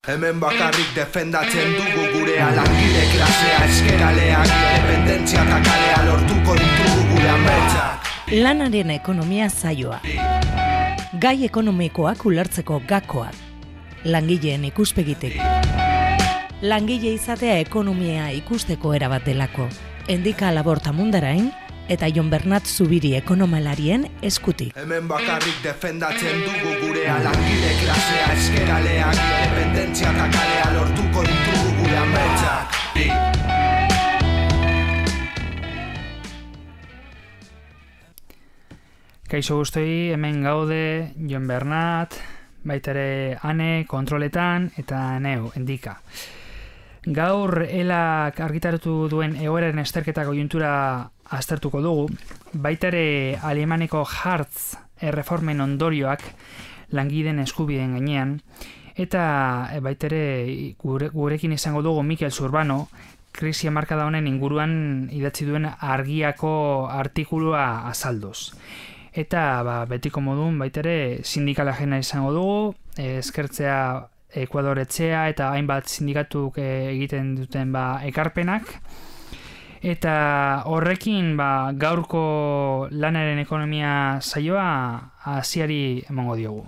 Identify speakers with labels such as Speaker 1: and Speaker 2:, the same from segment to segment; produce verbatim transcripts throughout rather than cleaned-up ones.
Speaker 1: Hemen bakarrik defendatzen dugu gurea, langile klasea, eskeraleak, independentzia eta kalea lortuko ditugu gure ametsak.
Speaker 2: Lanaren ekonomia saioa. Gai ekonomikoak ulertzeko gakoak. Langileen ikuspegitik. Langile izatea ekonomia ikusteko erabat delako. Endika Laborta Mundarain eta Jon Bernat Zubiri ekonomalarien eskutik.
Speaker 1: Hemen bakarrik defendatzen dugu gurea, langile klasea, eskeraleak, independentzia eta kalea lortuko ditugu gure ametsak.
Speaker 3: Kaixo guztoi, hemen gaude Jon Bernat, baita ere Ane kontroletan eta neu, Endika. Gaur elak argitaratu duen egoeraren esterketa konjuntura aztertuko dugu, baita ere Alemaneko Hartz erreformen ondorioak langileen eskubideen gainean, eta baita ere gure, gurekin izango dugu Mikel Zurbano, krisi hamarkada honen inguruan idatzi duen argiako artikulua azalduz. Eta ba, betiko modun baita ere sindikala jena izango dugu, eskertzea Ekuador etxea eta hainbat sindikatuk egiten duten ba, ekarpenak. Eta horrekin ba, gaurko lanaren ekonomia saioa hasiari emango diogu.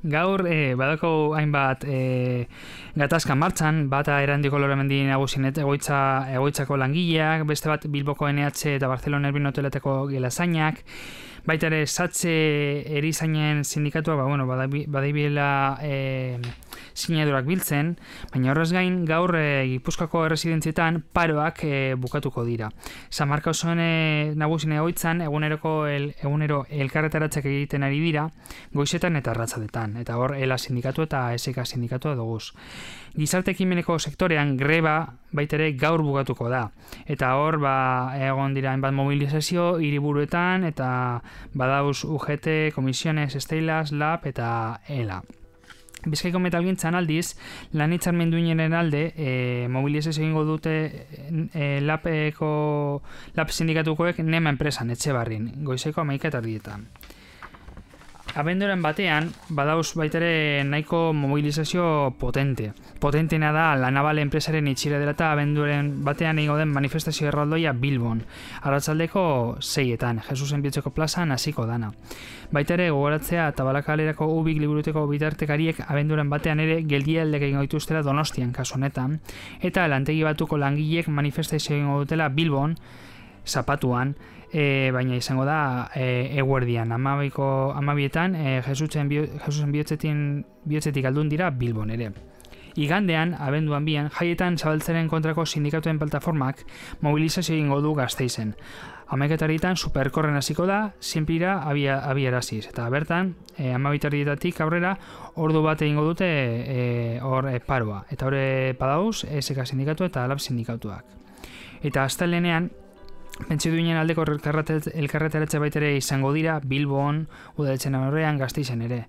Speaker 3: Gaur eh, badako hainbat eh, gatazka martxan, bata Erandiko Loramendi nagusien egoitza, egoitzako langileak, beste bat Bilboko N H eta Barcelona Erbin Hoteletako gelazainak, baita ere Satze erizainen sindikatua, ba, bueno, badabilela eh, sinadurak biltzen, baina horrez gain gaur e, Gipuzkoako erresidentzietan paroak e, bukatuko dira. San Marcos e, nagusien egoitzan eguneroko el, egunero elkarretaratzak egiten ari dira, goizetan eta arratsaldetan, eta hor ELA sindikatu eta S K sindikatua duguz. Gizarte ekimeneko sektorean greba baita ere gaur bukatuko da, eta hor ba, egon dira hainbat mobilizazio hiriburuetan eta badauz U G T, Komisiones, Estelas, Lab eta ELA. Bizkaiko metalgintzan aldiz, lan hitzarmen duinenen alde, e, mobilizazio egingo dute e, Labeko, Lab sindikatukoek Nema enpresan, Etxebarrin, goizeko hamaika eta erdietan. Abenduaren batean, badauz baitere nahiko mobilizazio potente. Potentena da La Naval enpresaren itxira dela eta abenduaren batean egingo den manifestazio erraldoia Bilbon. Arratsaldeko seietan, Jesusen Biotzeko plazan hasiko dana. Baita ere gogoratzea eta Balakalerako Ubik liburuteko bitartekariek abenduaren batean ere geldialdek egingo dituztela Donostian kasu honetan, eta lantegi batuko langileek manifestazio egingo dutela Bilbon, Zapatuan, e, baina izango da e, eguerdian, amabiko, amabietan, e, Jesusen, bio, Jesusen bihotzetin, bihotzetik aldun dira Bilbon ere. Igandean, abenduan bian, jaietan zabaltzaren kontrako sindikatuen plataformak mobilizazio egingo du Gasteizen. Hamaikatarietan superkorren hasiko da, zinpira abiaraziz. Eta bertan, e, amabitarrietatik aurrera, ordu bat egingo dute e, hor e, paroa. Eta hori padauz, S K sindikatu eta Lab sindikatuak. Eta astelenean, pentsio duinen aldeko elkarretaratze baitere izango dira Bilbon, Udaletxen aurrean, Gasteizen ere.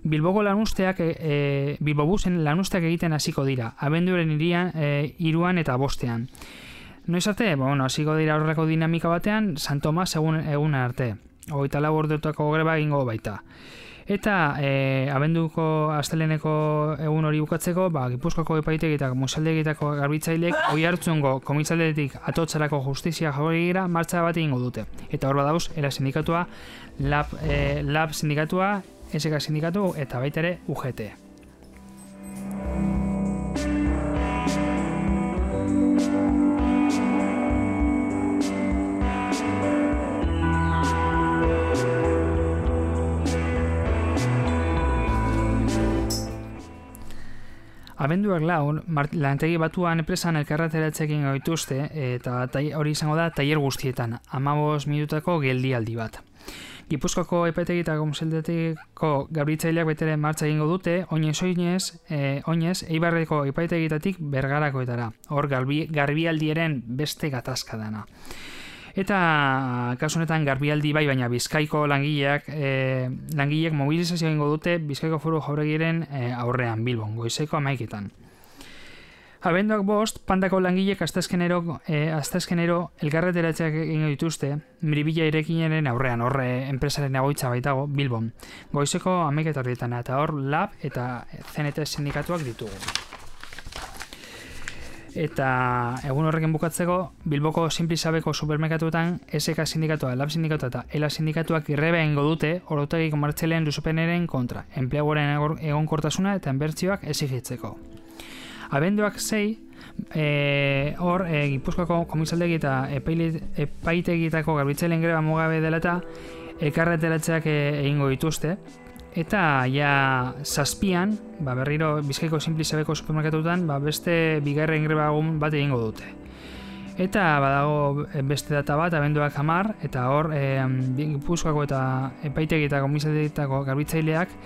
Speaker 3: Bilboko lanusteak, e, Bilbobusen lanusteak egiten hasiko dira, abenduaren irian, e, iruan eta bostean. Noiz arte, bueno, hasiko dira horreko dinamika batean, San Tomas egun, egun arte. Hogeita lau orduetako greba egingo baita. Eta e, abenduko asteleneko egun hori bukatzeko, ba, Gipuzkoako epaitegi eta musaldegietako garbitzailek oi hartzungo komisaldetik atotzarako justizia jaurigira martxa bat egingo dute. Eta hor badauz, ELA sindikatua, Lab, e, Lab sindikatua, S K sindikatu eta baita ere U G T. Abenduak lau, lantegi batuan enpresan elkarreteratzekin gaituzte eta hori izango da tailer guztietan, hamabost minutako geldialdi bat. Gipuzkoako epaitegi eta komisaldetiko gabritzaileak betere martza egingo dute, oinez oinez, e, oinez, Eibarreko epaitegitatik Bergarakoetara. Hor garbi, garbialdiaren beste gatazka dana. Eta kasu honetan garbialdi bai, baina Bizkaiko langileak e, langileek mobilizazio egingo dute Bizkaiko Foru Jauregiren e, aurrean Bilbon, goizeko hamaiketan. Abenduak bost, Pandako langilek asteazkenero e, asteazkenero elkarreteratzeak egingo dituzte, Miribilla irekinaren aurrean, horre enpresaren egoitza baitago, Bilbon. Goizeko hamaikaterditan, eta hor Lab eta C N T sindikatuak ditugu. Eta egun horrekin bukatzeko, Bilboko Simplizabeko supermerkatuetan S K sindikatua, Lab sindikatua eta Ela sindikatuak irreba egingo dute orotegi komertzialen luzapenaren kontra, enpleguaren egonkortasuna eta inbertsioak exigitzeko. Abenduak sei, e, hor, e, Gipuzkoako komisaldegi eta epaitegitako garbitzaileen greba mugabe dela eta elkarreteratzeak egingo dituzte. Eta ja zazpian, ba, berriro Bizkaiko Simplizabeko supermerkatutan ba, beste bigarren greba egun bat egingo dute. Eta badago beste data bat, abenduak hamar, eta hor e, Gipuzkoako eta epaitegi eta komisaldegitako garbitzaileak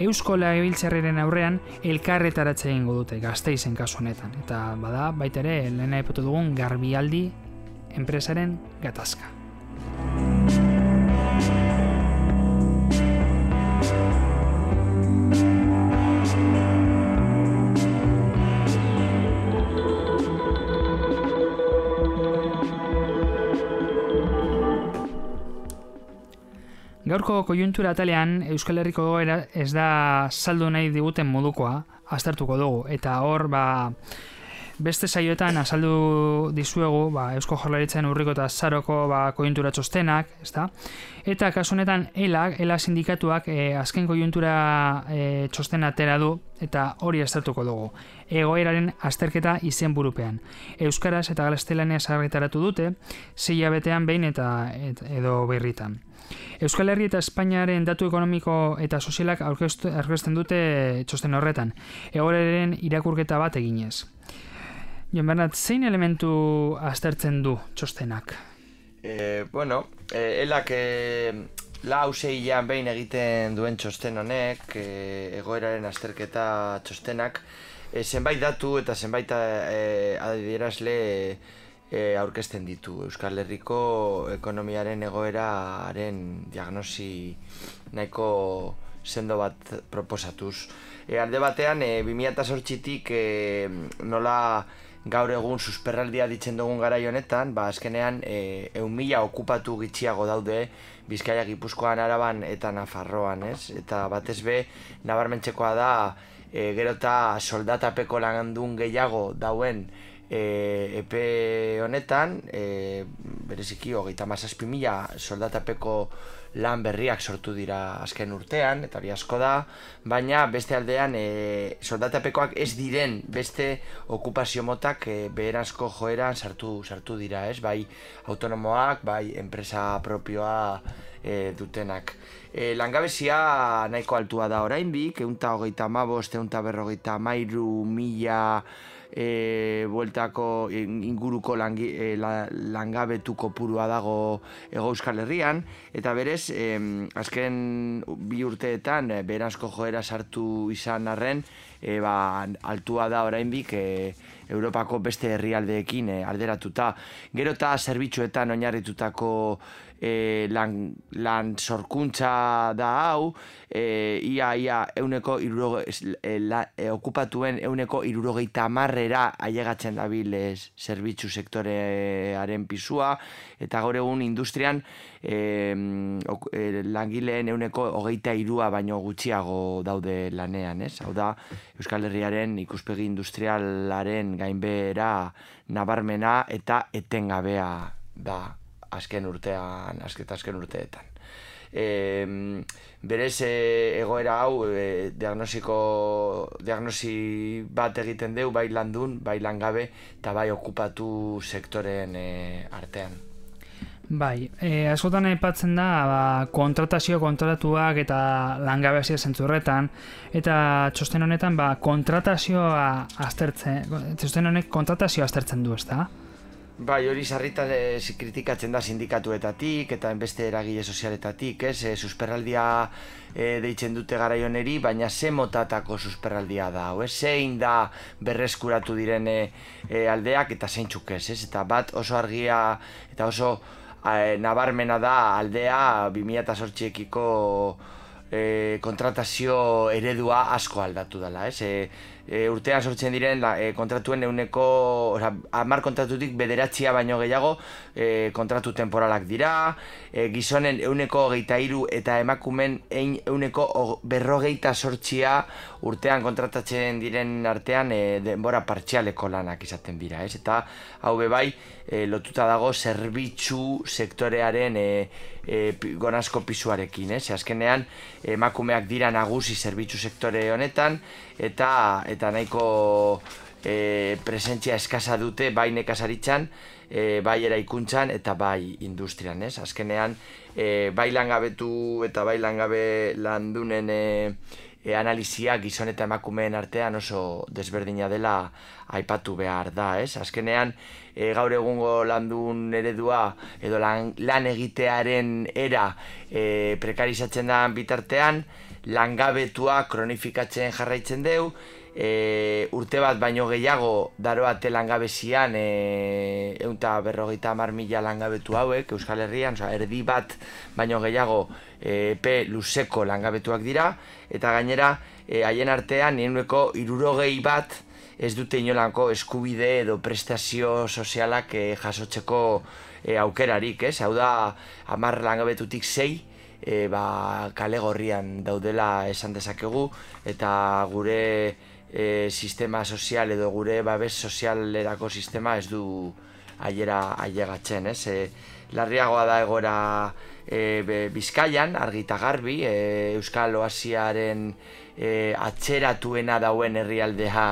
Speaker 3: Eusko Legebiltzarraren aurrean elkarretaratze egingo dute, Gasteizen kasu honetan. Eta bada, baita ere, lehena aipatu dugun Garbialdi enpresaren gatazka. Gaurko koiuntura atalean Euskal Herriko egoera ez da saldu nahi diguten modukoa, aztertuko dugu, eta hor ba, beste saioetan azaldu dizuegu ba, Eusko Jaurlaritzaren urriko eta zaroko ba, koiuntura txostenak, ezta? Eta kasu honetan Ela, Ela sindikatuak e, azken koiuntura e, txostena atera du, eta hori aztertuko dugu. Egoeraren azterketa izenburupean. Euskaraz eta gaztelaniaz argitaratu dute, sei hilabetean behin eta et, edo berritan. Euskal Herri eta Espainiaren datu ekonomiko eta sozialak aurkezten dute txosten horretan, egoeraren irakurketa bat eginez. Jon Bernat, zein elementu aztertzen du txostenak?
Speaker 4: E, bueno, e, elak e, lau zeian behin egiten duen txosten honek, e, egoeraren azterketa txostenak, e, zenbait datu eta zenbait e, adierazle E, aurkezten ditu Euskal Herriko ekonomiaren egoeraren diagnosi nahiko sendo bat proposatuz. E, alde batean, e, bi mila zortzitik e, nola gaur egun susperraldia ditzen dugun garai honetan, ba, azkenean e, ehun mila okupatu gitxiago daude Bizkaia, Gipuzkoan, Araban eta Nafarroan, ez? Eta batez be, nabarmentzekoa da, e, gero eta soldatapeko landun gehiago dauen E, epe honetan, e, bereziki hogeita hamazazpi mila soldatapeko lan berriak sortu dira azken urtean, eta hori asko da, baina beste aldean e, soldatapekoak ez diren beste okupazio motak e, beherazko joeran sartu, sartu dira, ez? Bai autonomoak, bai enpresa propioa e, dutenak. E, langabezia nahiko altua da oraindik, ehun eta hogeita hamabost, ehun eta berrogeita hamairu mila E, bueltako inguruko langi, e, la, langabetu kopurua dago Hego Euskal Herrian, eta berez, e, azken bi urteetan e, beherazko joera sartu izan arren, e, ba, altua da oraindik e, Europako beste herrialdeekin e, alderatuta. Gero eta zerbitzuetan oinarritutako e, lan, lan sorkuntza da hau, e, ia ia euneko iruro, e, la, e, okupatuen euneko irurogeita hamarrera ailegatzen dabil e, zerbitzu sektorearen pisua, eta gaur egun industrian e, ok, e, langileen euneko hogeita irua baino gutxiago daude lanean, ez? Hau da, Euskal Herriaren ikuspegi industrialaren gainbehera nabarmena eta etengabea da azken urtean, azken, azken urteetan. E, berez e, egoera hau e, diagnosiko, diagnosi bat egiten deu, bai landun, bai langabe eta bai okupatu sektoren e, artean.
Speaker 3: Bai, e, askotan aipatzen da ba, kontratazio kontratuak eta langabezia zentzurretan, eta txosten honetan ba, kontratazioa aztertzen, txosten honek kontratazioa aztertzen du, ezta?
Speaker 4: Bai, hori sarritan e, kritikatzen da sindikatuetatik eta beste eragile sozialetatik, ez? E, susperraldia e, deitzen dute garaion eri, baina ze motatako susperraldia da, ez? Zein da berreskuratu diren e, e, aldeak eta zeintzuk ez, ez? Eta bat oso argia eta oso e, nabarmena da aldea bi mila zortziekiko e, kontratazio eredua asko aldatu dela, ez? E, e, urtean sortzen diren la, e, kontratuen euneko, oza, hamar kontratutik bederatzia baino gehiago e, kontratu temporalak dira, e, gizonen euneko hogeita hiru eta emakumen euneko berrogeita sortzia urtean kontratatzen diren artean e, denbora partzialeko lanak izaten dira, ez? Eta hau bebai e, lotuta dago zerbitzu sektorearen e, e, gonazko pisuarekin, ez? Azkenean emakumeak dira nagusi zerbitzu sektore honetan eta eta nahiko e, presentzia eskasa dute bai nekazaritzan, e, bai eraikuntzan eta bai industrian, ez? Azkenean e, bai langabetu eta bai langabe landunen e, e, analizia gizon eta emakumeen artean oso desberdina dela aipatu behar da, ez? Azkenean e, gaur egungo landun eredua edo lan, lan egitearen era e, prekarizatzen da bitartean, langabetua kronifikatzen jarraitzen deu, e, urte bat baino gehiago daroate langabezian e, eunta berrogeita hamar mila langabetu hauek Euskal Herrian, oza, erdi bat baino gehiago e, epe luzeko langabetuak dira, eta gainera e, haien artean euneko hirurogei bat ez dute inolanko eskubide edo prestazio sozialak e, jasotzeko e, aukerarik, ez? Hau da, hamar langabetutik sei, E, ba, kale gorrian daudela esan dezakegu, eta gure e, sistema sozial edo gure babes sozialerako sistema ez du aiera ailegatzen, ez? E, larriagoa da egoera e, be, Bizkaian, argi eta garbi, e, Euskal Oasiaren e, atzeratuena dauen herrialdea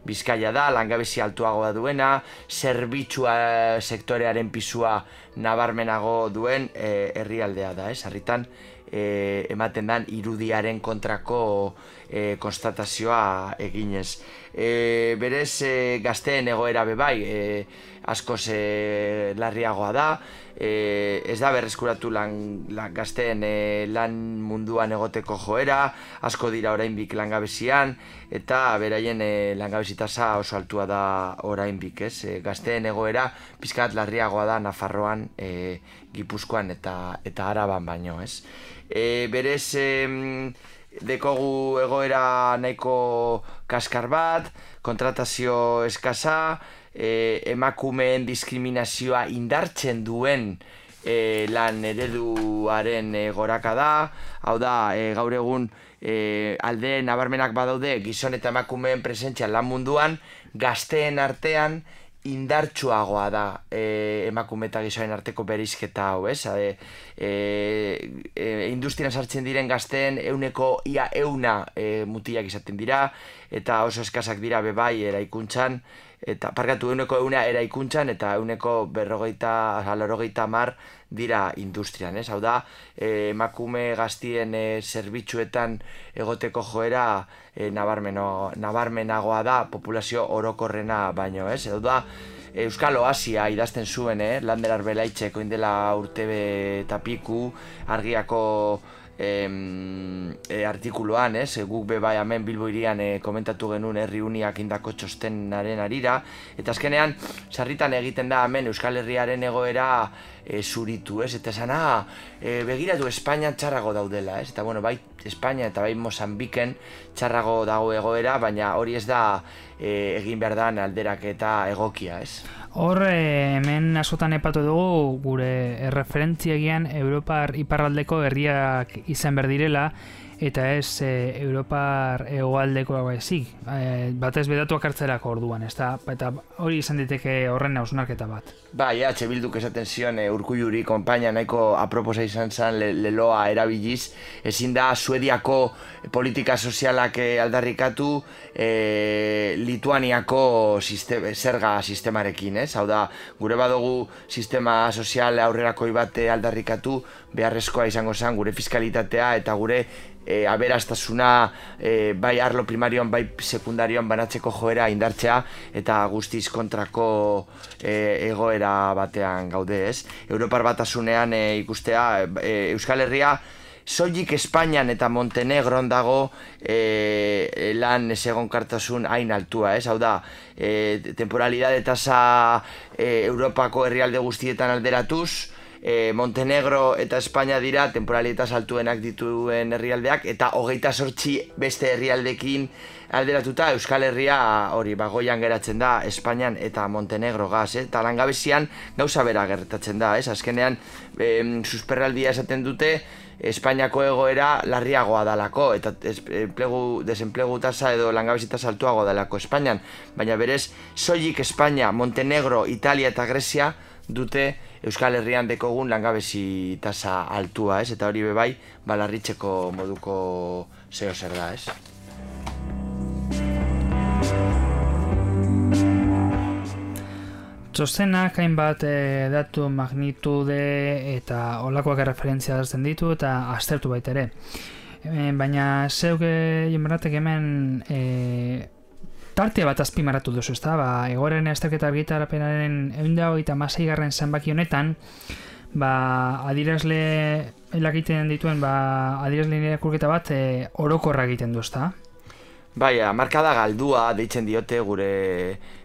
Speaker 4: Bizkaia da, langabezi altuagoa duena, zerbitzua sektorearen pisua nabarmenago duen e, herrialdea da, ez? Sarritan e, ematen dan irudiaren kontrako e, konstatazioa eginez. E, berez e, gazteen egoera bebai e, askoz e, larriagoa da, e, ez da berreskuratu lan, lan gazteen e, lan munduan egoteko joera, asko dira orainbik langabezian, eta beraien e, langabezi tasa oso altua da orainbik, ez? E, gazteen egoera pizkat larriagoa da Nafarroan, e, Gipuzkoan eta eta Araban baino, ez? E, berez e, dekogu egoera nahiko kaskar bat, kontratazio eskasa, e, emakumeen diskriminazioa indartzen duen e, lan ereduaren e, goraka da, hau da, e, gaur egun e, alde nabarmenak badaude gizon eta emakumeen presentzia lan munduan, gazteen artean indartsuagoa da e, emakume eta gizoen arteko bereizketa hau, ez? E, e, e, industrian sartzen diren gazteen euneko ia euna e, mutilak izaten dira, eta oso eskasak dira bebai eraikuntzan, eta parkatu euneko euna eraikuntzan, eta euneko berrogeita, laurogeita hamar dira industrian, ez? Hau da, e, emakume gaztien e, zerbitzuetan egoteko joera e, nabarmeno, nabarmenagoa da populazio orokorrena baino, ez? Hau da, Euskal Oasia idazten zuen, eh? Lander Arbelaitxeko indela urte eta piku, argiako em, e, artikuluan, ez? Guk be bai hemen Bilbo hirian e, komentatu genuen herri uniak indako txostenaren arira, eta azkenean sarritan egiten da hemen Euskal Herriaren egoera e, zuritu, ez? Eta esan, ah, e, begiratu Espainia txarrago daudela, ez? Eta bueno, bai Espainia eta bai Mozambiken txarrago dago egoera, baina hori ez da e, egin behar da alderaketa egokia, ez?
Speaker 3: Hor, eh, hemen askotan epatu dugu gure erreferentziegian Europar iparraldeko herriak izan behar direla, eta ez e, Europar hegoaldeko ezik, e, batez bedatuak hartzerako orduan, ez da, eta hori izan diteke horren hausnarketa bat.
Speaker 4: Bai, H. Bilduk esaten zion e, Urkulluri konpaina nahiko aproposa izan zen le, leloa erabiliz, ezin da Suediako politika sozialak e, aldarrikatu e, Lituaniako sistema, zerga sistemarekin, ez? Hau da, gure badugu sistema sozial aurrerakoi bat aldarrikatu, beharrezkoa izango zen gure fiskalitatea eta gure E, aberastasuna e, bai arlo primarioan bai sekundarioan banatzeko joera indartzea eta guztiz kontrako e, egoera batean gaude, ez? Europar Batasunean e, ikustea e, Euskal Herria soilik Espainian eta Montenegron dago e, lan ezegonkartasun hain altua, ez? Hau da, e, temporalidade tasa e, Europako herrialde guztietan alderatuz, e, Montenegro eta Espainia dira temporalitas altuenak dituen herrialdeak, eta hogeita zortzi beste herrialdekin alderatuta Euskal Herria hori bagoian geratzen da Espainian eta Montenegro gaz, eh? Eta langabezian gauza bera gertatzen da, ez? Azkenean e, susperraldia esaten dute Espainiako egoera larriagoa dalako, eta enplegu, desenplegu tasa edo langabezi tasa altuago dalako Espainian, baina berez, soilik Espainia, Montenegro, Italia eta Grecia dute Euskal Herrian dekogun langabezi tasa altua, ez? Eta hori bebai, balarritzeko moduko zeo zer da, ez?
Speaker 3: Txostenak hainbat e, datu magnitude eta olakoak erreferentzia dartzen ditu eta aztertu baita ere. E, baina zeuk jenberatek hemen e, tartea bat azpimarratu duzu, ezta? Ba, egoeren azterketa argitarapenaren ehun eta hogeita hamasei garren zenbaki honetan, ba, adirazle elakiten dituen ba, adirazle irakurketa bat e, orokorra egiten du, ezta?
Speaker 4: Bai, markada galdua deitzen diote gure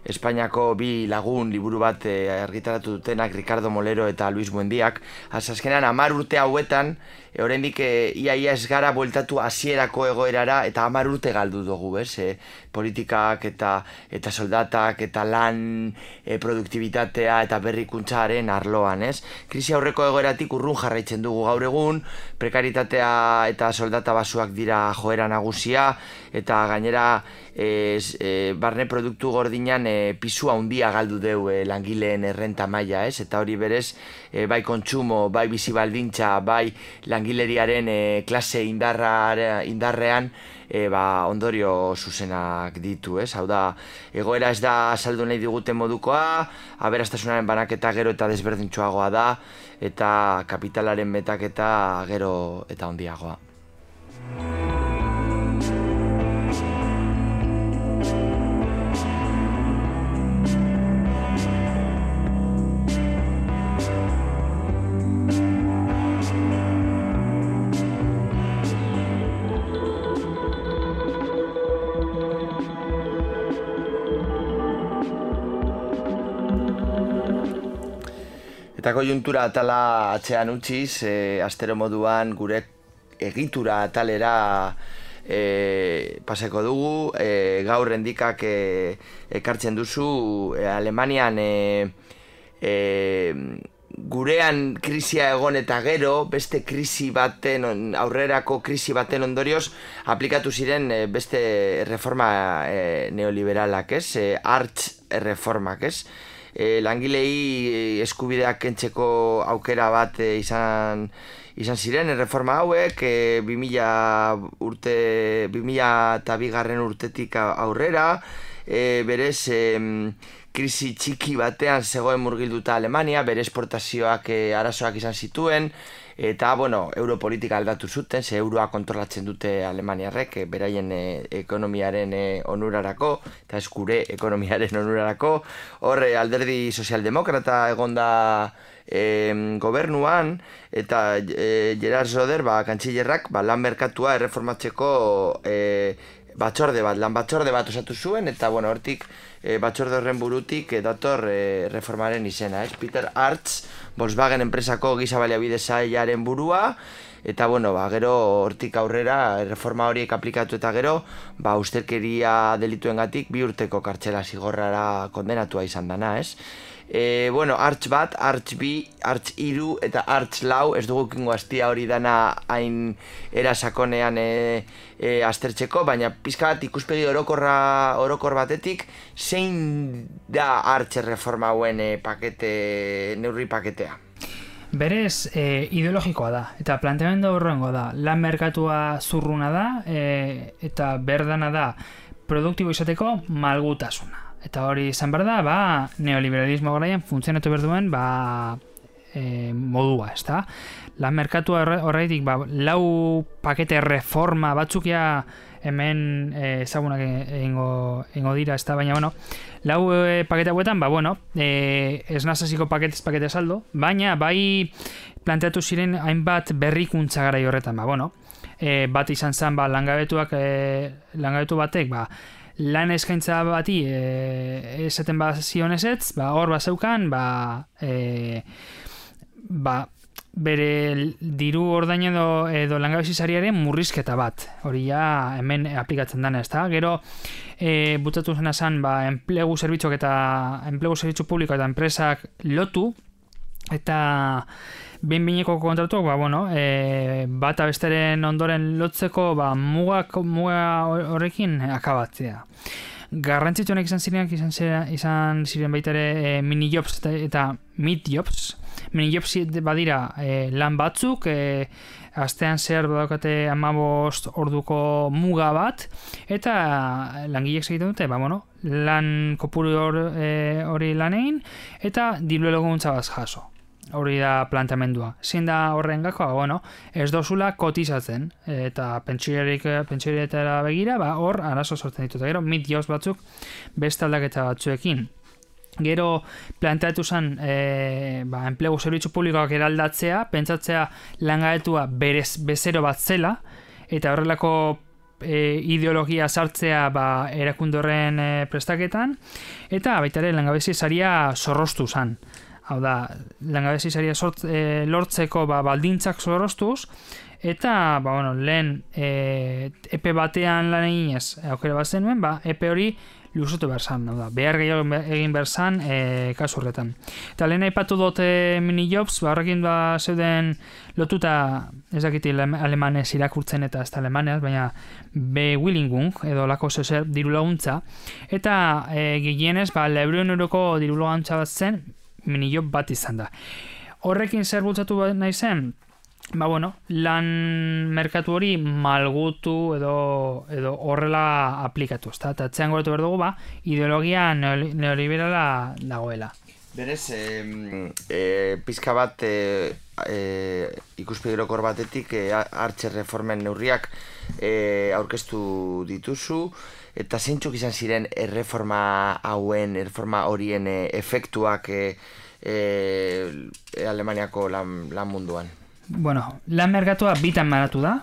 Speaker 4: Espainiako bi lagun liburu bat argitaratu dutenak Ricardo Molero eta Luis Buendiak. Azkenean hamar urte hauetan, e, oraindik e, ia ia ez gara bueltatu hasierako egoerara eta hamar urte galdu dugu, ez? E, politikak eta eta soldatak eta lan e, produktibitatea eta berrikuntzaren arloan, ez? Krisi aurreko egoeratik urrun jarraitzen dugu gaur egun, prekaritatea eta soldata basuak dira joera nagusia, eta gainera e, e, barne produktu gordinan e, pisu handia galdu deu e, langileen errenta maila, ez? Eta hori berez, e, bai kontsumo, bai bizi baldintza, bai langileriaren e, klase indarra, indarrean e, ba, ondorio zuzenak ditu, ez? Hau da, egoera ez da saldu nahi diguten modukoa, aberastasunaren banaketa gero eta desberdintxoagoa da, eta kapitalaren metaketa gero eta handiagoa. Eta koiuntura atala atzean utziz, e, astero moduan gure egitura atalera e, paseko dugu, e, gaur endikak e, ekartzen duzu e, Alemanian e, e, gurean krisia egon eta gero, beste krisi baten, aurrerako krisi baten ondorioz, aplikatu ziren e, beste reforma e, neoliberalak, ez? E, artz reformak, ez? E, langilei eskubideak kentzeko aukera bat e, izan izan ziren erreforma hauek e, bi mila urte bi mila eta bigarren urtetik aurrera, e, berez e, krisi txiki batean zegoen murgilduta Alemania, bere esportazioak e, arazoak izan zituen, eta, bueno, europolitika aldatu zuten, ze euroa kontrolatzen dute Alemaniarrek, e, beraien e, ekonomiaren e, onurarako, eta ez gure ekonomiaren onurarako. Hor, e, alderdi sozialdemokrata egonda e, gobernuan, eta e, Gerard Söder, ba, kantxillerrak, ba, lan merkatua erreformatzeko e, batzorde bat, lan batzorde bat osatu zuen, eta, bueno, hortik, e, batzorde horren burutik e, dator e, reformaren izena, ez? Peter Artz, Volkswagen enpresako giza baliabide sailaren burua, eta, bueno, ba, gero hortik aurrera reforma horiek aplikatu eta gero, ba, ustelkeria delituengatik bi urteko kartzela zigorrara kondenatua izan dana, ez? E, bueno, Artz bat, Artz bi, Artz hiru eta Artz lau, ez dugu kingo astia hori dana hain erasakonean e, e, aztertzeko, baina pizka bat ikuspegi orokorra, orokor batetik, zein da Artz reforma hauen e, pakete, neurri paketea?
Speaker 3: Berez, e, ideologikoa da, eta planteamendu horrengo da, lan merkatua zurruna da, e, eta berdana da, produktibo izateko malgutasuna. Eta hori izan behar da, ba, neoliberalismo garaian funtzionatu behar duen, ba, e, modua, ez da? Lan merkatua horreitik, ba, lau pakete reforma batzukia hemen e, ezagunak egingo, egingo dira, ez da? Baina, bueno, lau e, pakete hauetan, ba, bueno, e, ez nazaziko paketez pakete saldo, baina, bai planteatu ziren hainbat berrikuntza garai horretan, ba, bueno, e, bat izan zen, ba, langabetuak, e, langabetu batek, ba, lan eskaintza bati e, esaten bat zion ezetz, ba, hor bat zeukan, ba, e, ba, bere diru ordain edo, edo langabezi sariaren murrizketa bat. Hori ja hemen aplikatzen dana, ezta? Gero e, butatu zena zen ba, enplegu zerbitzuak eta enplegu zerbitzu publiko eta enpresak lotu, eta behin-behineko kontratuak ba, bueno, e, bata besteren ondoren lotzeko ba, mugak, muga horrekin akabatzea. Garrantzitsuenak izan zirenak izan, izan ziren baita ere e, mini-jobs eta, eta mid-jobs. Mini-jobs badira e, lan batzuk, e, astean zehar badaukate hamabost orduko muga bat, eta langileek egiten dute, ba, bueno, lan kopuru hori e, lanein, eta diru laguntza bat jaso. Hori da planteamendua. Zein da horren gakoa? Bueno, ez dozula kotizatzen, eta pentsioretara begira, ba, hor arazo sortzen ditut. Gero, mid-jobs batzuk beste aldaketa batzuekin. Gero planteatu zen e, ba, enplegu zerbitzu publikoak eraldatzea, pentsatzea langabetua berez bezero bat zela, eta horrelako e, ideologia sartzea ba, erakunde horren e, prestaketan, eta baita ere langabezi saria zorroztu zen. Hau da, langabezi saria sort, e, lortzeko ba, baldintzak zorroztuz, eta ba, bueno, lehen e, epe batean lan eginez aukera bat zenuen, ba, epe hori luzutu behar zan, hau da, behar gehiago egin behar zan e, kasu horretan. Eta lehen aipatu dute mini-jobs, ba, horrekin ba, zeuden lotuta, ez dakiti alemanez irakurtzen eta ez da alemanez, baina Bewilligung, edo lako zezer diru laguntza, eta e, gehienez, ba, laurehun euroko diru laguntza bat zen, mini-job bat izan da. Horrekin zer bultzatu nahi zen? Ba, bueno, lan merkatu hori malgutu edo, edo horrela aplikatu. Eta atzean goratu behar dugu, ba, ideologia neoliberala dagoela.
Speaker 4: Berez, e, e, pizka bat e, e, ikuspegi orokor batetik e, hartze reformen neurriak e, aurkeztu dituzu, eta zeintzuk izan ziren erreforma hauen, erreforma horien e, efektuak e, e, Alemaniako lan, lan munduan?
Speaker 3: Bueno, lan merkatua bitan banatu da.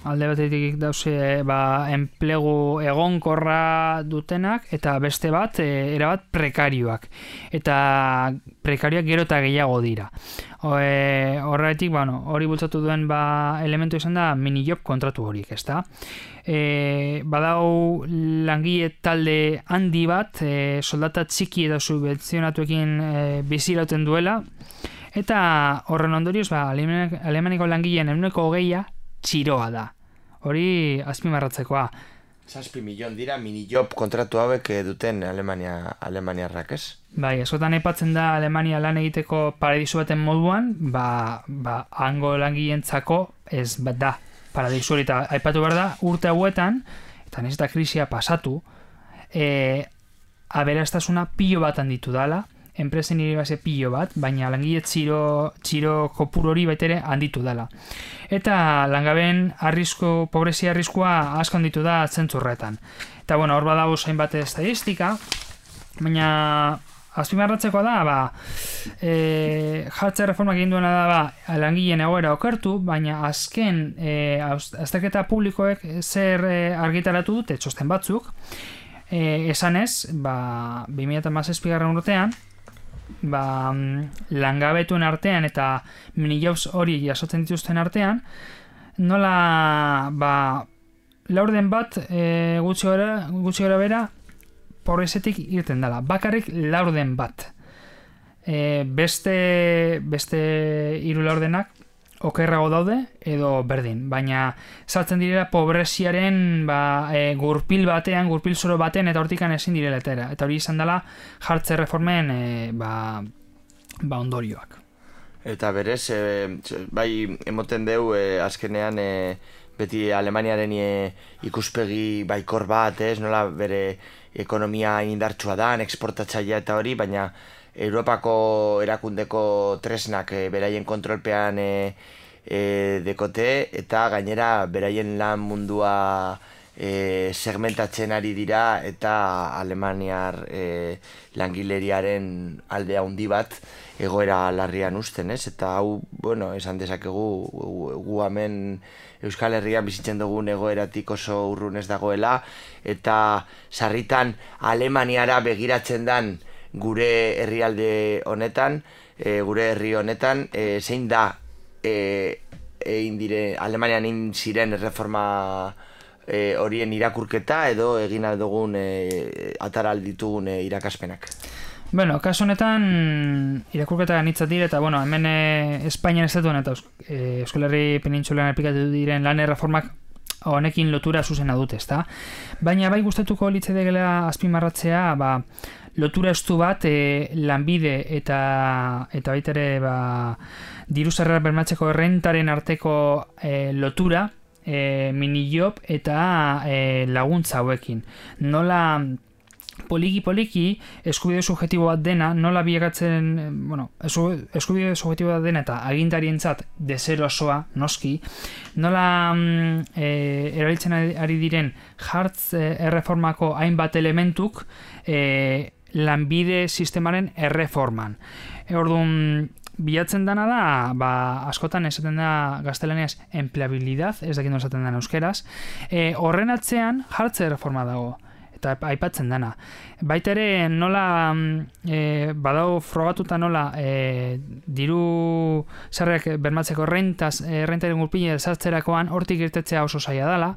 Speaker 3: Alde batetik dauze ba, enplegu egonkorra dutenak, eta beste bat, e, erabat prekarioak. Eta prekarioak gero eta gehiago dira. E, horretik, bueno, hori bultzatu duen ba, elementu izan da mini-job kontratu horiek, ezta? E, badau langile talde handi bat, e, soldata txiki eta subentzionatuekin e, bizirauten duela, eta horren ondorioz, ba, Alemaniko langileen ehuneko hogeia txiroa da. Hori azpimarratzekoa.
Speaker 4: Zazpi milion dira mini-job kontratu hauek duten Alemania, Alemaniarrak, ez?
Speaker 3: Bai, askotan aipatzen da Alemania lan egiteko paradisu baten moduan, ba, ba hango langileentzako ez bat da paradisu hori, eta aipatu behar da urte hauetan, eta nahiz eta krisia pasatu, e, aberastasuna pilo bat handitu dala, enpresen iribase pilo bat, baina langile txiro, txiro kopuru hori baitere handitu dela. Eta langabeen arrisku, pobrezia arriskua asko handitu da zentzurretan. Eta bueno, hor badago hainbat estadistika, baina azpimarratzeko da, ba, e, jartze reformak egin duena da, ba, langileen egoera okertu, baina azken e, azterketa publikoek zer e, argitaratu dute txosten batzuk, e, esanez, ba, bi mila hamazazpigarren urtean, ba, langabetuen artean eta mini-jobs hori jasotzen dituzten artean, nola ba, laurden bat e, gutxi gora, gutxi gora bera pobrezetik irten dela. Bakarrik laurden bat. E, beste beste hiru laurdenak okerrago daude edo berdin, baina saltzen direla pobreziaren ba, e, gurpil batean, gurpil zoro batean, eta hortikan ezin direla etera. Eta hori izan dela jartze reformen e, ba, ba ondorioak.
Speaker 4: Eta berez, e, bai emoten deu e, azkenean e, beti Alemaniaren e, ikuspegi baikor bat, ez, nola bere ekonomia indartsua da, eksportatzailea eta hori, baina Europako erakundeko tresnak e, beraien kontrolpean e, e, dekote, eta gainera beraien lan mundua e, segmentatzen ari dira, eta Alemaniar e, langileriaren aldea handi bat egoera larrian uzten, ez? Eta hau, bueno, esan dezakegu gu, gu hemen Euskal Herrian bizitzen dugun egoeratik oso urrun ez dagoela, eta sarritan Alemaniara begiratzen dan gure herrialde honetan, e, gure herri honetan, e, zein da e, egin dire, Alemanian egin ziren erreforma e, horien irakurketa edo egin dugun e, ataral ditugun e, irakaspenak?
Speaker 3: Bueno, kasu honetan irakurketa ganitza dire eta bueno, hemen e, Espainian estatuan eta e, Euskal Herri penintsulan aplikatu diren lan erreformak honekin lotura zuzena dute, ezta? Baina bai gustatuko litzatekeela azpimarratzea, ba, lotura estu bat e, lanbide eta eta baita ere ba, diru sarrerak bermatzeko errentaren arteko e, lotura, e, minijob eta e, laguntza hauekin. Nola poliki-poliki eskubide subjektibo bat dena, nola bilakatzen, bueno, eskubide subjektibo bat dena eta agintarientzat deserosoa, noski, nola mm, e, erabiltzen ari diren jartz e, erreformako hainbat elementuk e, lanbide sistemaren erreforman. E, orduan, bilatzen dana da, ba, askotan esaten da gaztelaniaz empleabilidad, ez dakit esaten dana euskeraz, e, horren atzean jartze erreforma dago. Eta aipatzen dana. Baita ere nola e, badau frogatuta nola e, diru sarrerak bermatzeko rentaz, e, rentaren gurpile sartzerakoan hortik irtetzea oso zaila dela,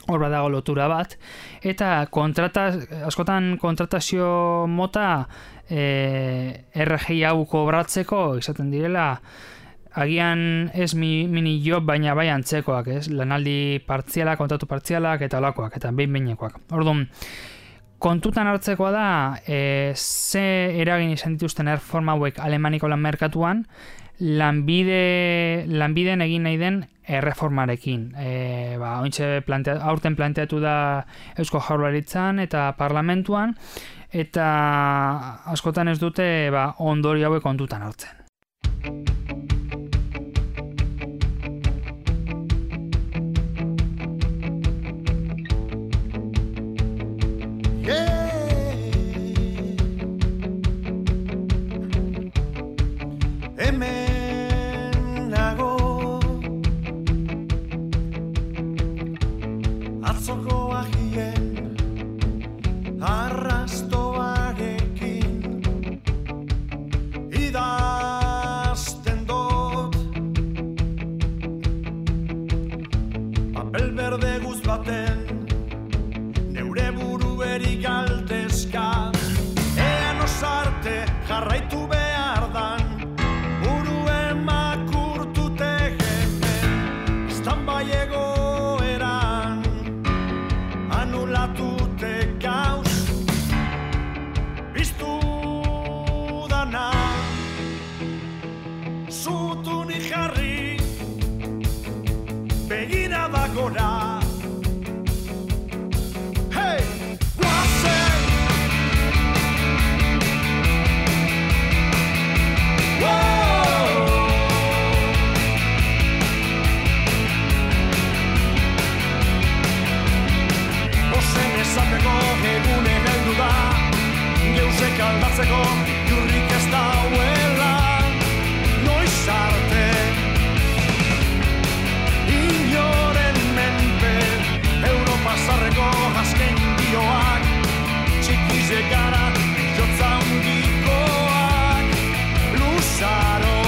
Speaker 3: hor badago lotura bat, eta kontrata, askotan kontratazio mota e, R G I hau kobratzeko izaten direla agian ez mi, mini job baina bai antzekoak, ez? Lanaldi partzialak, kontratu partzialak eta olakoak, eta behin-behinekoak. Orduan, kontutan hartzekoa da e, ze eragin izan dituzten erreforma hauek Alemaniko lan merkatuan lanbide, lanbideen egin nahi den erreformarekin. E, ba, ointxe plantea, aurten planteatu da Eusko Jaurlaritzan eta parlamentuan, eta askotan ez dute ba, ondori hauek kontutan hartzen.
Speaker 1: Hemen nago atzoko agien arrastoarekin idazten dut papel berde guz baten neure burueri galdezka ean osarte jarraitu behar dan egoeran anulatute gauz biztu dana zutuni jarri begira da gora hey! Guazen! Esateko egune heldu da geuzek aldatzeko jurrik ez dauela noiz arte inoren menpe Europa zarreko azken dioak txikize gara jotza handikoak luzaro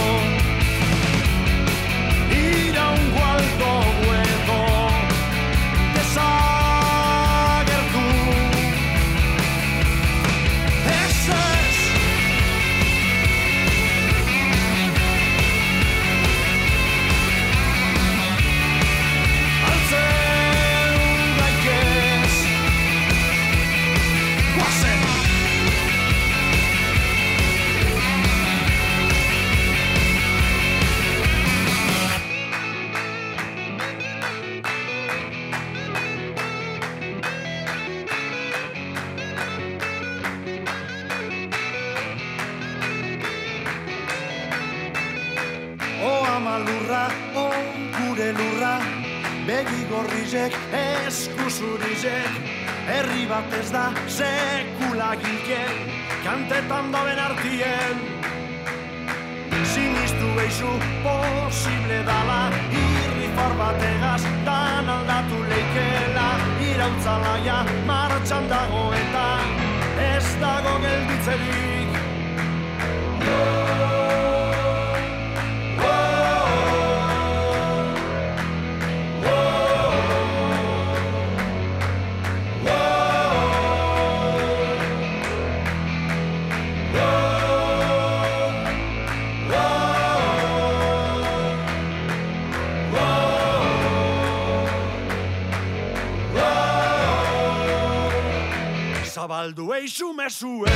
Speaker 1: iraungo aldo huedo desa begi gorrizek, eskuzurizek, herri bat ez da sekula gilken, kantetan daben artien. Sinistu behizu posible dala, irrifar bategaz dan aldatu leikela, irautzalaia martxan dago eta ez dago gelditzerik.
Speaker 5: zabaldu eixu mesue.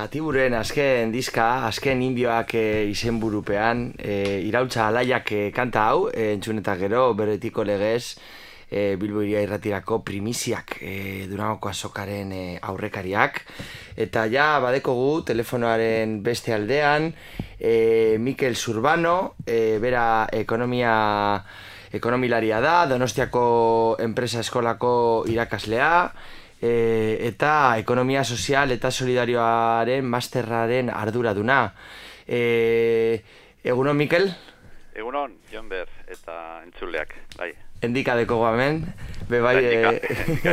Speaker 4: Gatiburen azken diska, azken indioak e, izenburupean, e, irautza alaiak e, kanta hau, e, entzun eta gero, beretiko legez, e, Bilbo Hiria Irratirako primiziak e, Durangoko azokaren e, aurrekariak. Eta ja, badekogu, telefonoaren beste aldean, e, Mikel Zurbano, e, bera ekonomia... ekonomilaria da, Donostiako enpresa eskolako irakaslea, E, eta ekonomia sozial eta solidarioaren masterraren arduraduna. E, egunon, Mikel?
Speaker 6: Egunon, Jon Ber, eta entzuleak, bai.
Speaker 4: Endika deko guamen, be bai...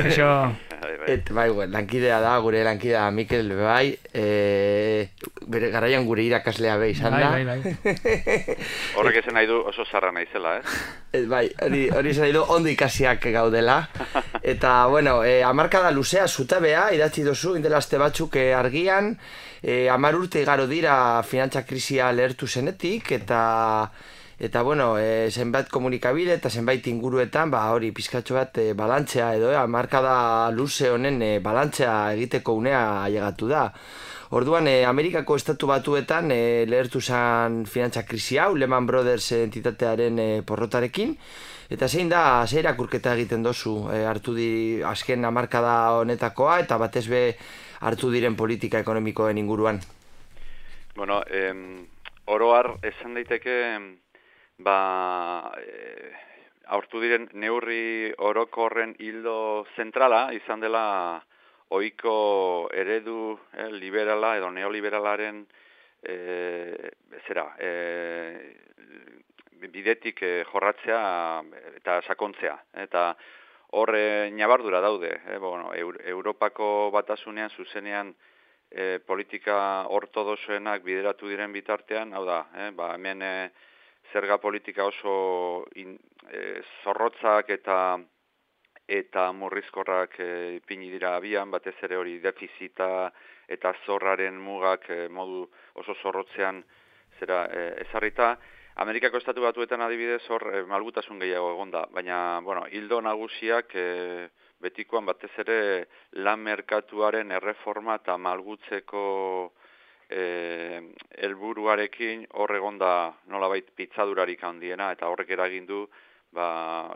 Speaker 3: Eso...
Speaker 4: Et, bai, lankidea da, gure lankidea Mikel, be bai, e, bere garaian gure irakaslea be izan da.
Speaker 3: Bai, bai, bai.
Speaker 6: Horrek esan nahi du oso zarra naizela, eh?
Speaker 4: Et, bai, hori, hori esan nahi du ondo ikasiak gaudela. Eta, bueno, e, hamarkada luzea zutabea, idatzi dozu, indelazte batzuk e, argian, e, hamar urte igaro dira finantza krisia lehertu zenetik, eta... Eta, bueno, e, zenbait komunikabide eta zenbait inguruetan, ba, hori, pizkatxo bat e, balantzea edo, e, markada luze honen e, balantzea egiteko unea ailegatu da. Orduan, e, Amerikako estatu batuetan e, lehertu zen finantza krisi hau, Lehman Brothers entitatearen e, porrotarekin, eta zein da, zein irakurketa egiten dozu, e, hartu di, azken hamarkada honetakoa, eta batez be hartu diren politika ekonomikoen inguruan.
Speaker 6: Bueno, em, oroar esan daiteke... Ba, e, aurtu diren neurri orokorren hildo zentrala izan dela ohiko eredu eh, liberala edo neoliberalaren e, zera, e, bidetik e, jorratzea eta sakontzea. Eta horre nabardura daude. Eh, bueno, Europako batasunean zuzenean e, politika ortodoxoenak bideratu diren bitartean, hau da, eh, ba, hemen... E, zerga politika oso in, e, zorrotzak eta eta murrizkorrak e, ipini dira abian, batez ere hori defizita eta zorraren mugak e, modu oso zorrotzean zera e, ezarrita. Amerikako estatu batuetan adibidez hor e, malgutasun gehiago egonda, baina bueno, hildo nagusiak e, betikoan batez ere lan merkatuaren erreforma eta malgutzeko helburuarekin e, hor egonda nolabait pitzadurarik handiena eta horrek eragin du ba,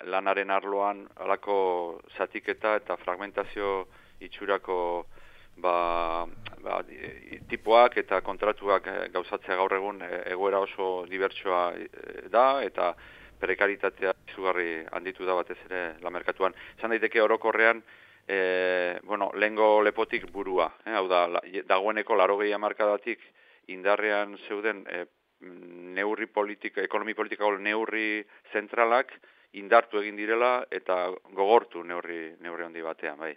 Speaker 6: lanaren arloan halako zatiketa eta fragmentazio itxurako ba, ba, tipoak eta kontratuak gauzatzea gaur egun egoera oso dibertsoa da eta prekaritatea izugarri handitu da batez ere lan merkatuan. Esan daiteke orokorrean E, bueno, lehengo lepotik burua, eh, hau da, la, dagoeneko laurogei hamarkadatik indarrean zeuden e, neurri politika, ekonomi politikako neurri zentralak indartu egin direla eta gogortu neurri, neurri handi batean, bai.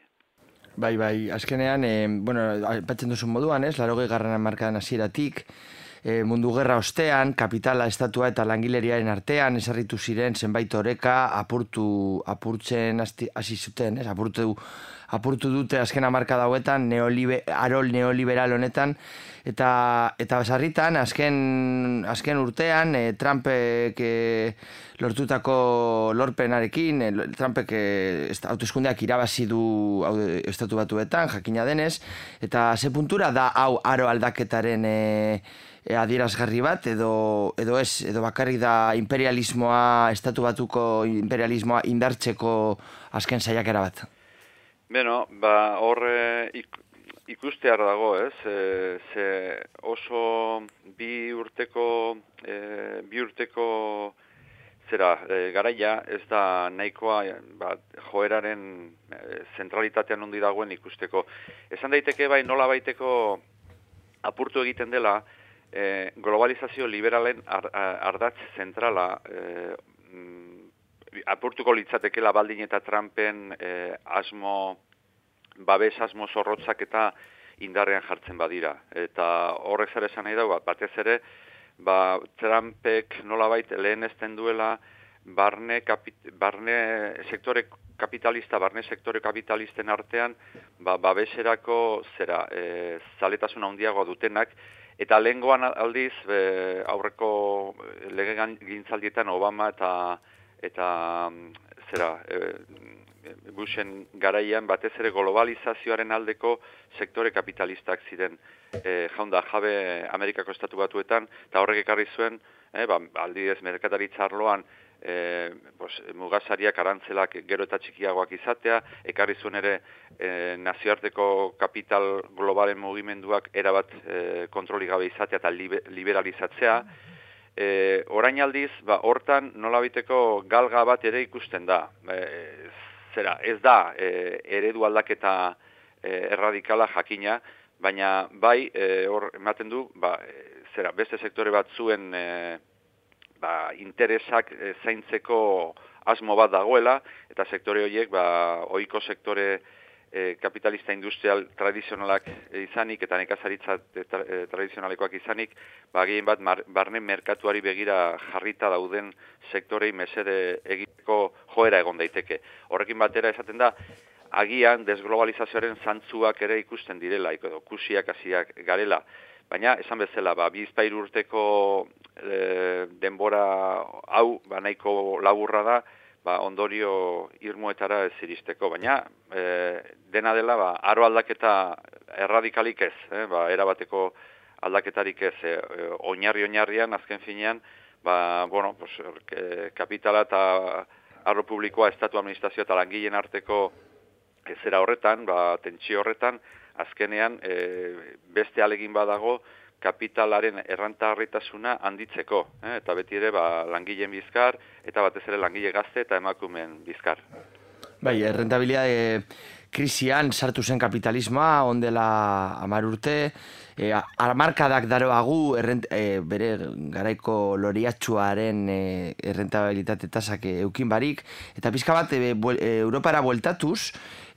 Speaker 4: Bai, bai, azkenean, e, bueno, batzen duzun moduan, ez, laurogei garran hamarkadan hasieratik, E, mundu gerra ostean, kapitala, estatua eta langileriaren artean esarritu ziren zenbait oreka apurtu, apurtzen hasi zuten, ez? Apurtu, apurtu dute azken hamarkada hauetan neolibe, arol neoliberal honetan eta eta sarritan azken azken urtean e, Trumpek e, lortutako lorpenarekin, e, Trumpek e, hauteskundeak irabazi du hau, estatu batuetan, jakina denez, eta ze puntura da hau aro aldaketaren e, E, adierazgarri bat, edo, edo ez, edo bakarrik da imperialismoa, estatu batuko imperialismoa indartzeko azken saiakera bat?
Speaker 6: Beno, ba, hor ik, ikustear dago, ez? E, ze oso bi urteko, e, bi urteko zera, e, garaia ez da nahikoa ba, joeraren e, zentralitatean ondi dagoen ikusteko. Esan daiteke bai nola baiteko apurtu egiten dela e, globalizazio liberalen ar, ardatz zentrala e, apurtuko litzatekela baldin eta Trumpen eh, asmo, babes asmo zorrotzak eta indarrean jartzen badira. Eta horrek zer esan nahi dago, batez ere, ba, Trumpek nolabait lehenesten duela barne, kapit, barne sektore kapitalista, barne sektore kapitalisten artean, ba, babeserako zera, e, zaletasuna handiagoa dutenak, eta lehengoan aldiz, e, aurreko lege gintzaldietan Obama eta eta zera e, Bushen garaian batez ere globalizazioaren aldeko sektore kapitalistak ziren e, jaunda jabe Amerikako estatu batuetan, eta horrek ekarri zuen, e, ba, aldidez merkataritza arloan e, pues, mugasariak arantzelak gero eta txikiagoak izatea, ekarri zuen ere e, nazioarteko kapital globalen mugimenduak erabat e, kontroli gabe izatea eta libe, liberalizatzea. E, orain aldiz, ba, hortan nolabiteko galga bat ere ikusten da. E, zera, ez da e, eredu aldaketa e, erradikala jakina, baina bai, e, hor ematen du, ba, e, zera, beste sektore bat zuen e, ba, interesak e, zaintzeko asmo bat dagoela, eta sektore horiek, ba, ohiko sektore E, kapitalista industrial tradizionalak izanik eta nekazaritza tra, e, tradizionalekoak izanik, ba, gehien bat mar, barne merkatuari begira jarrita dauden sektorei mesede egiteko joera egon daiteke. Horrekin batera esaten da, agian desglobalizazioaren zantzuak ere ikusten direla, edo kusiak hasiak garela. Baina, esan bezala, ba, bizpairu urteko e, denbora hau, ba, nahiko laburra da, ba, ondorio irmoetara ez iristeko, baina e, dena dela ba, aro aldaketa erradikalik ez, eh? Ba, erabateko aldaketarik ez, e, oinarri-oinarrian, azken finean, ba, bueno, pues, e, kapitala eta arlo publikoa, estatu administrazio eta langileen arteko zera horretan, ba, tentsio horretan, azkenean e, beste alegin badago, kapitalaren errantagarritasuna handitzeko, eh? Eta beti ere ba, langileen bizkar, eta batez ere langile gazte eta emakumeen bizkar.
Speaker 4: Bai, errentabilitate krisian sartu zen kapitalismoa, ondela hamar urte, e, hamarkadak daroagu errent, e, bere garaiko loriatxuaren e, errentabilitate tasak eukin barik, eta pizka bat e, buel, e, Europara bueltatuz,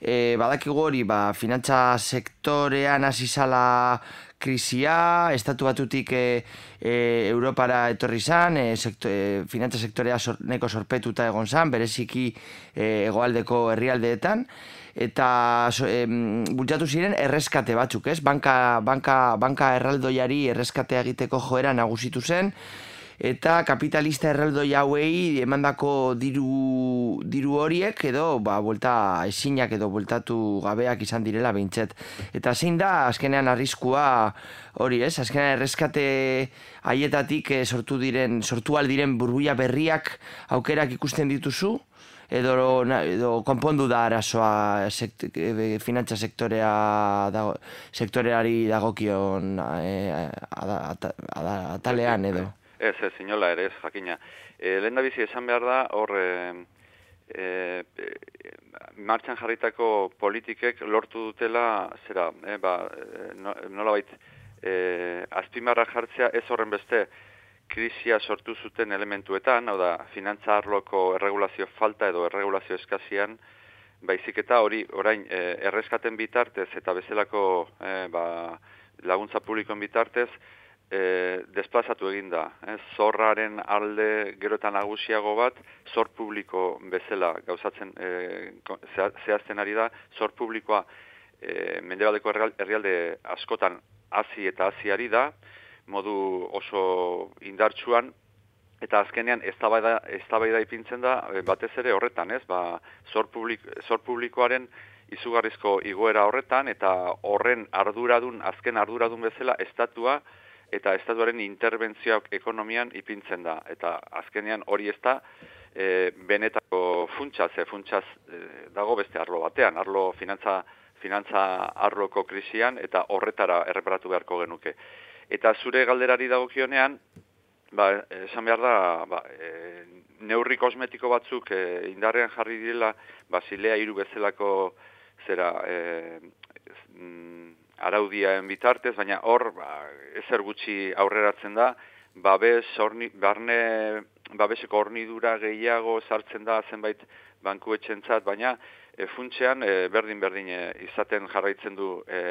Speaker 4: e, badakigu hori ba, finantza sektorean hasi zala krisia, estatu batutik e, e, Europara etorri zan, e, sekto, e, finantza sektorea sor, neko sorpetuta egon zan, bereziki e, hegoaldeko herrialdeetan, eta so, e, bultzatu ziren erreskate batzuk, ez? Banka, banka, banka erraldoiari erreskatea egiteko joera nagusitu zen, eta kapitalista erraldoi hauei emandako diru, diru horiek edo ba, buelta ezinak edo bueltatu gabeak izan direla behintzet. Eta zein da azkenean arriskua hori, ez? Azkenean erreskate haietatik eh, sortu diren, sortu aldiren burbuia berriak aukerak ikusten dituzu? Edo, na, edo konpondu da arazoa sekt, e, finantza sektorea dago, sektoreari dagokion e, atalean edo?
Speaker 6: Ez, ez, inola ere, ez, jakina. E, lehen da bizi esan behar da, hor, e, e, martxan jarritako politikek lortu dutela, zera, e, ba, no, nola bait, e, azpimarra jartzea ez horren beste krisia sortu zuten elementuetan, hau da, finantza arloko erregulazio falta edo erregulazio eskazian, baizik eta hori, orain, e, erreskaten bitartez eta bezalako e, ba, laguntza publikoen bitartez, E, desplazatu egin da. Eh? Zorraren alde gero eta nagusiago bat, zor publiko bezala gauzatzen e, zehazten ari da, zor publikoa e, mendebaldeko herrialde askotan hazi eta hazi ari da, modu oso indartsuan, eta azkenean eztabaida eztabaida ipintzen da batez ere horretan, ez? Ba, zor, publik, zor publikoaren izugarrizko igoera horretan, eta horren arduradun, azken arduradun bezala estatua eta estatuaren interbentzioak ekonomian ipintzen da. Eta azkenean hori ez da, e, benetako funtsa, ze funtsaz e, dago beste arlo batean, arlo finantza, finantza arloko krisian, eta horretara erreparatu beharko genuke. Eta zure galderari dagokionean, ba, esan behar da, ba, e, neurri kosmetiko batzuk e, indarrean jarri direla, Basilea hiru bezalako zera e, mm, araudiaen bitartez, baina hor ba, ezer gutxi aurreratzen da, babes horni, barne babeseko hornidura gehiago sartzen da zenbait bankuetxentzat, baina e, funtsean e, berdin-berdin e, izaten jarraitzen du e,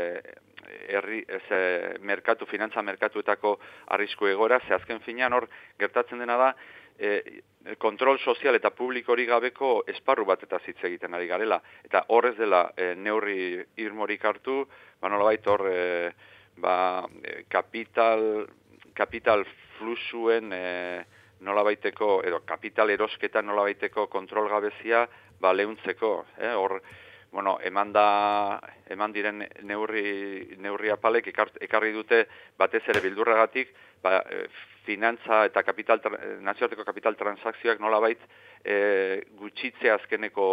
Speaker 6: herri, ez, e, merkatu, finantza merkatuetako arrisku egoera, ze azken finean hor gertatzen dena da, e, kontrol sozial eta publikori gabeko esparru bat eta hitz egiten ari garela. Eta hor ez dela e, neurri irmorik hartu, ba nolabait hor e, ba, e, kapital, kapital fluxuen e, nolabaiteko, edo kapital erosketa nolabaiteko kontrol gabezia ba, lehuntzeko. Eh? Hor, bueno, eman, da, eman diren neurri, neurri apalek ekarri dute batez ere bildurragatik, ba, finantza eta kapital, nazioarteko kapital transakzioak nolabait e, gutxitze azkeneko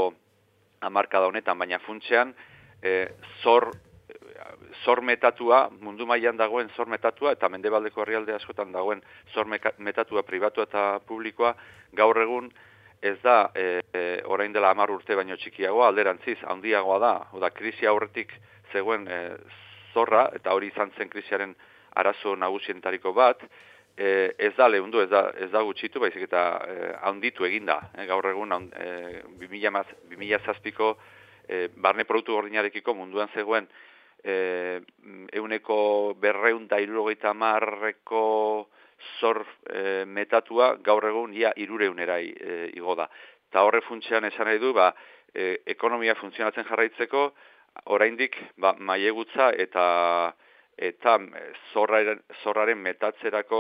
Speaker 6: hamarkada honetan, baina funtsean e, zor zor metatua, mundu mailan dagoen zor metatua, eta mendebaldeko herrialde askotan dagoen zor metatua pribatua eta publikoa, gaur egun ez da e, e, orain dela hamar urte baino txikiagoa, alderantziz, handiagoa da, oda krisi aurretik zegoen e, zorra, eta hori izan zen krisiaren arazo nagusientariko bat, e, ez da lehundu, ez da, ez da gutxitu, baizik eta e, handitu eginda. E, gaur egun e, bi mila zazpiko e, barne produktu gordinarekiko munduan zegoen E, euneko berreun da hirurogeita hamarreko zor e, metatua gaur egun ia hirureunera e, igo da. Eta horre funtsean esan nahi du, ba, e, ekonomia funtzionatzen jarraitzeko, oraindik ba, mailegutza eta eta zorraren, zorraren metatzerako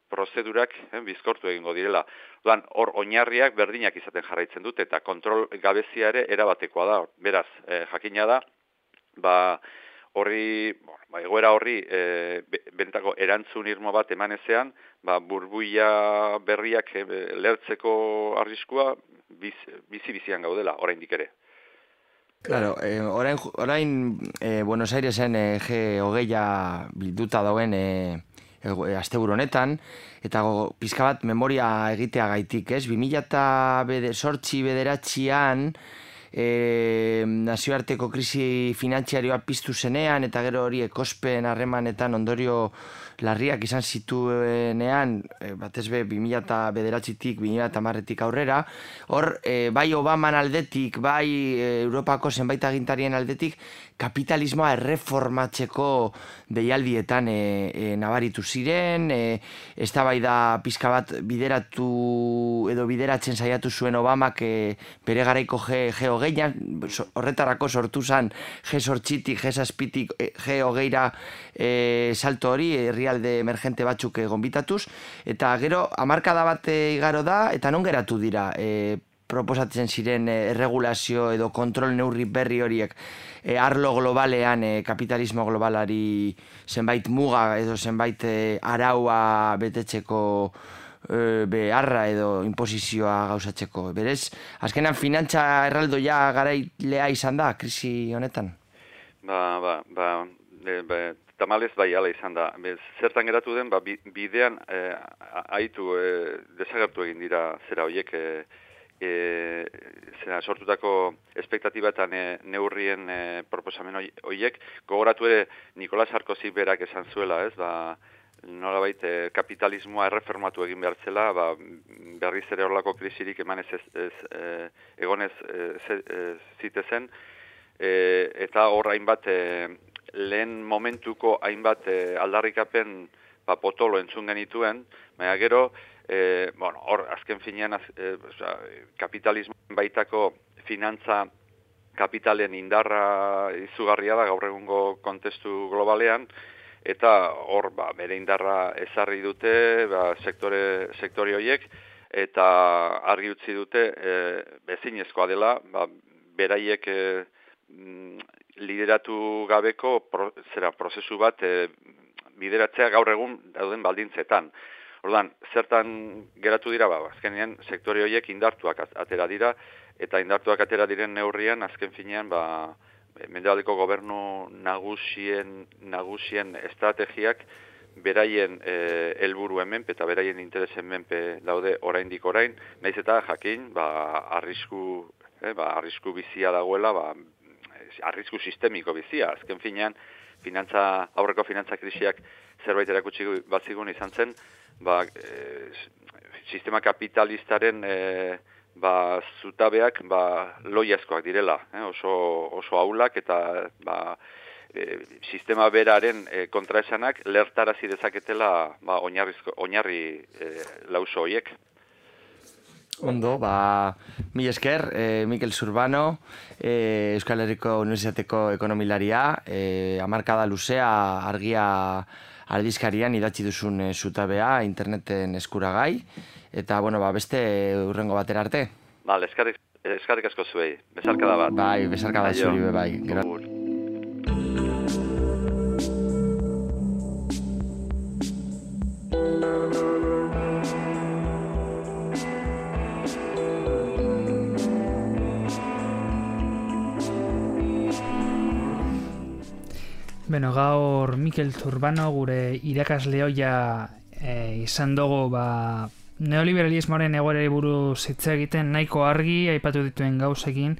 Speaker 6: prozedurak eh, bizkortu egingo direla. Duan, hor oinarriak berdinak izaten jarraitzen dute eta kontrol gabezia ere erabatekoa da. Beraz, eh, jakina da, ba, horri, ba, egoera horri e, benetako erantzun irmo bat eman ezean, ba, burbuia berriak e, lertzeko arriskua biz, bizi-bizian gaudela, oraindik ere.
Speaker 4: Claro, eh, orain, orain eh, Buenos Airesen eh, G hogeia bilduta dauen eh, asteburu honetan, eta go, pizka bat memoria egitea gaitik, ez? bi mila zortzi bederatzian E, nazioarteko krisi finantziarioa piztu zenean eta gero hori ekospen harremanetan ondorio larriak izan zituenean, e, batez be bi mila bederatzitik bi mila hamarretik aurrera, hor e, bai Obaman aldetik, bai e, Europako zenbait agintarien aldetik kapitalismoa erreformatzeko deialdietan e, e, nabaritu ziren, e, eztabaida pizka bat bideratu edo bideratzen saiatu zuen Obamak e, bere garaiko G hogeian, horretarako sortu zen G zortzitik, G zazpitik, G hogeira e, salto hori, herrialde emergente batzuk gonbitatuz, eta gero hamarkada bat igaro da, eta non geratu dira e, proposatzen ziren erregulazio edo kontrol neurri berri horiek e, arlo globalean, e, kapitalismo globalari zenbait muga edo zenbait e, araua betetzeko e, beharra edo imposizioa gauzatzeko. Berez, azkenan finantza erraldoia garailea izan da, krisi honetan?
Speaker 6: Ba, ba, ba, e, ba tamalez bai ala izan da. Bez, zertan geratu den, ba, bidean e, aitu e, desagertu egin dira zera horiek e, E, zera, sortutako espektatiba eta ne, neurrien e, proposamen horiek. Gogoratu ere Nicolas Sarkozy berak esan zuela, ez, ba, nolabait e, kapitalismoa erreformatu egin behar zela, ba, berriz ere horlako krisirik eman ez, ez, ez e, egonez e, ze, e, zitezen, e, eta hor hainbat e, lehen momentuko hainbat e, aldarrikapen ba, potolo entzun genituen, baina gero E, bueno, hor, azken finean, az, e, oza, kapitalismo baitako finantza kapitalen indarra izugarria da gaur egungo kontestu globalean, eta hor, ba, bere indarra ezarri dute, ba, sektore, sektore horiek, eta argi utzi dute, e, bezinezkoa dela, ba, beraiek e, lideratu gabeko pro, zera, prozesu bat e, bideratzea gaur egun dauden baldintzetan. Orduan, zertan geratu dira, ba, azkenean sektore horiek indartuak atera dira, eta indartuak atera diren neurrian, azken finean, ba, mendebaldeko gobernu nagusien, nagusien estrategiak beraien helburuen menpe eta beraien interesen menpe daude oraindik orain, naiz eta jakin, ba, arrisku, eh, ba, arrisku bizia dagoela, ba, arrisku sistemiko bizia, azken finean, finantza, aurreko finantza krisiak zerbait erakutsi bazigun izan zen, ba, e, sistema kapitalistaren e, ba, zutabeak ba, loiazkoak direla, eh, oso, oso ahulak eta ba, e, sistema beraren e, kontraesanak lertarazi dezaketela ba, oinarri e, lauso horiek.
Speaker 4: Ondo, ba, mil esker, eh, Mikel Zurbano, eh, Euskal Herriko Unibertsitateko ekonomilaria, eh, hamarkada luzea argia aldizkarian idatzi duzun eh, zutabea interneten eskuragai, eta, bueno, ba, beste hurrengo batera arte.
Speaker 6: Bale, eskarrik, eskarrik asko zuei, besarkada bat.
Speaker 4: Bai, besarkada zuri, bai.
Speaker 6: Gur.
Speaker 3: Beno, gaur Mikel Zurbano gure irakasle hoia e, izan dugu ba, neoliberalismoaren egoerari buruz hitz egiten nahiko argi aipatu dituen gauzekin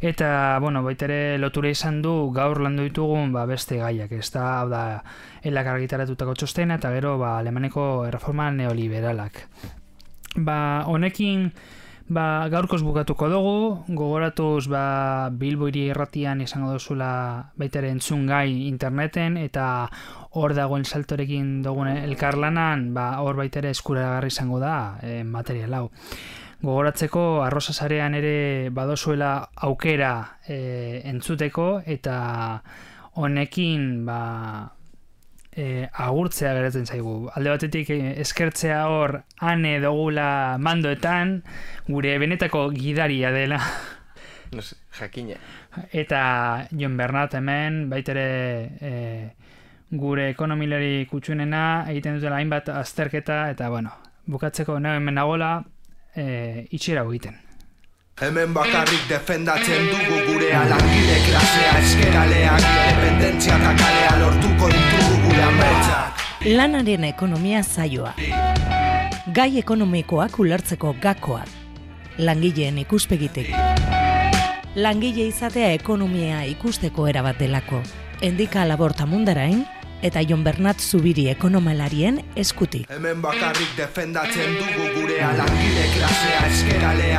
Speaker 3: eta bueno, baita ere lotura izan du gaur landu ditugun ba, beste gaiak, ez da, hau da, elak argitaratutako txostena eta gero ba, Alemaneko erreforma neoliberalak. Ba, honekin ba, gaurkoz bukatuko dugu, gogoratuz ba, Bilbo hiri irratian izango duzula baita ere entzun gai interneten eta hor dagoen saltorekin dugun elkarlanan, ba, hor baita ere eskuragarri izango da e, material hau. Gogoratzeko arroza sarean ere badozuela aukera e, entzuteko eta honekin ba, E, agurtzea geratzen zaigu. Alde batetik e, eskertzea hor ane dugula mandoetan, gure benetako gidaria dela.
Speaker 4: No sé, jakine.
Speaker 3: Eta Jon Bernat hemen, baitere e, gure ekonomilari kutxunena, egiten dutela hainbat azterketa, eta bueno, bukatzeko nahi hemen nagola, e, itxera egiten.
Speaker 1: Hemen bakarrik defendatzen dugu gurea langile klasea eskeraleak independentzia eta kalea lortuko ditugu gure ametsak.
Speaker 2: Lanaren ekonomia saioa. Gai ekonomikoak ulertzeko gakoak. Langileen ikuspegitik. Langile izatea ekonomia ikusteko erabat delako. Endika Laborta Mundarain eta Jon Bernat Zubiri ekonomalarien eskutik.
Speaker 1: Hemen bakarrik defendatzen dugu gurea langile klasea eskeraleak